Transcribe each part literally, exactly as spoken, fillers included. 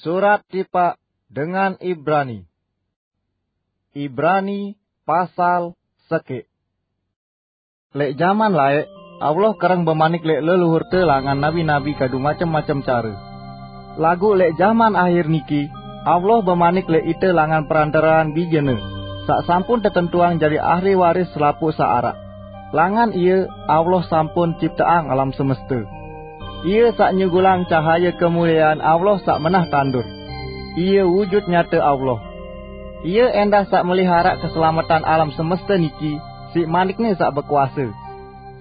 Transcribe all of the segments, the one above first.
Surat tipaq dengan Ibrani. Ibrani pasal sekeq. Leq jaman laeq, Allah kereng bemanik leq leluhurte langan nabi-nabi kadu macem-macem care. Laguq leq jaman ahir niki, Allah bemanik leq ite langan perantaraan Bijene, saq sampun tetentuang jari ahli waris selapuq saq araq. Langan Ie, Allah sampun cipteang alam semeste. Ie saq nyugulang cahaye kemuliean Allah saq menah tandur. Ie wujut nyate Allah. Ie endah saq meliharaq keselametan alam semeste niki siq manik-Ne saq bekuase.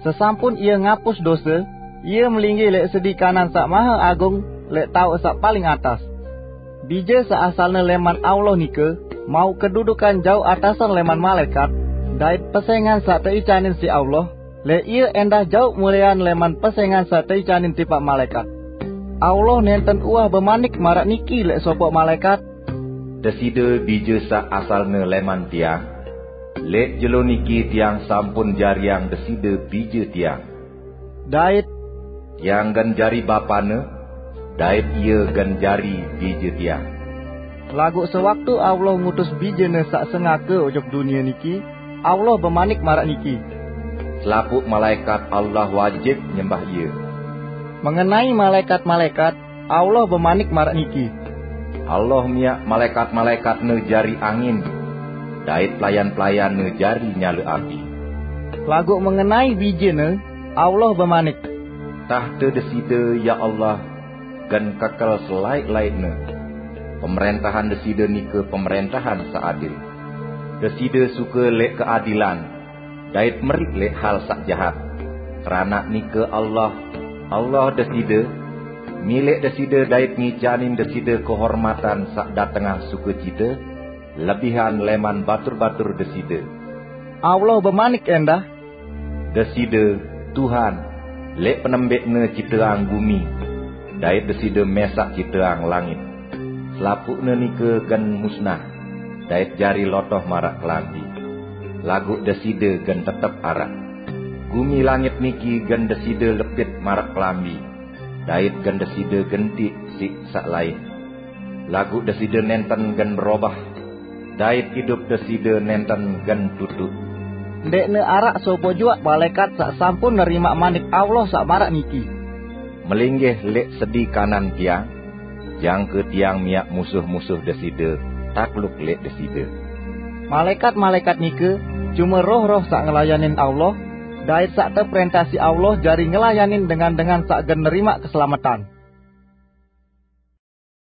Sesampun Ie ngapus dose, Ie melinggih leq sedi kanan Saq Mahe Agung leq taoq saq paling atas. Bije saq asalne leman Allah nike mauq kedudukan jauq atasan leman malaekat, dait pesengan saq teicanin siq Allah, leq Ie endah jauq mulean leman pesengan saq teicanin tipaq malaekat. Allah nenten uwah bemanik maraq niki leq sopoq malaekat, "Deside Bije saq asalne leman Tiang, leq jelo niki Tiang sampun jariang Deside Bije Tiang." Dait, "Tiang gen jari Bapane, dait Ie gen jari Bije Tiang." Laguq sewaktu Allah ngutus Bijene saq sengake ojok dunie niki, Allah bemanik maraq niki, "Selapuq malaekat Allah wajib nyembah Ie." Mengenai malaekat-malaekat, Allah bemanik maraq niki, "Allah miaq malaekat-malaekat-Ne jari angin, dait pelayan-pelayan-Ne jari nyale api." Laguq mengenai Bijene, Allah bemanik, "Tahte Deside, ya Allah, gen kekel selaeq-laeqne. Pemerentahan Deside nike pemerentahan saq adil. Deside suke leq keadilan, dait meriq leq hal saq jahat. Keranaq nike Allah, Allah Deside, mileq Deside dait ngicanin Deside kehormatan saq datengang sukecite, lebihan leman batur-batur Deside." Allah bemanik endah, "Deside, Tuhan, leq penembekne cipteang gumi, dait Deside mesaq cipteang langit. Selapuqne nike gen musnah, dait jari lotoh maraq kelambi. Laguq Deside gen tetep araq. Gumi langit niki gen Deside lepit maraq kelambi, dait gen Deside gentiq siq saq lain. Laguq Deside nenten gen berobah, dait idup Deside nenten gen tutuq." Ndeqne araq sopoq juaq malaekat saq sampun nerimaq manik Allah saq maraq niki, "Melinggih leq sedi kanan Tiang, jangke Tiang miaq musuh-musuh Deside takluk leq Deside." Malaekat-malaekat nike cume roh-roh saq ngelayanin Allah, dait saq teperentah siq Allah jari ngelayanin dengan-dengan saq gen nerimaq keselametan.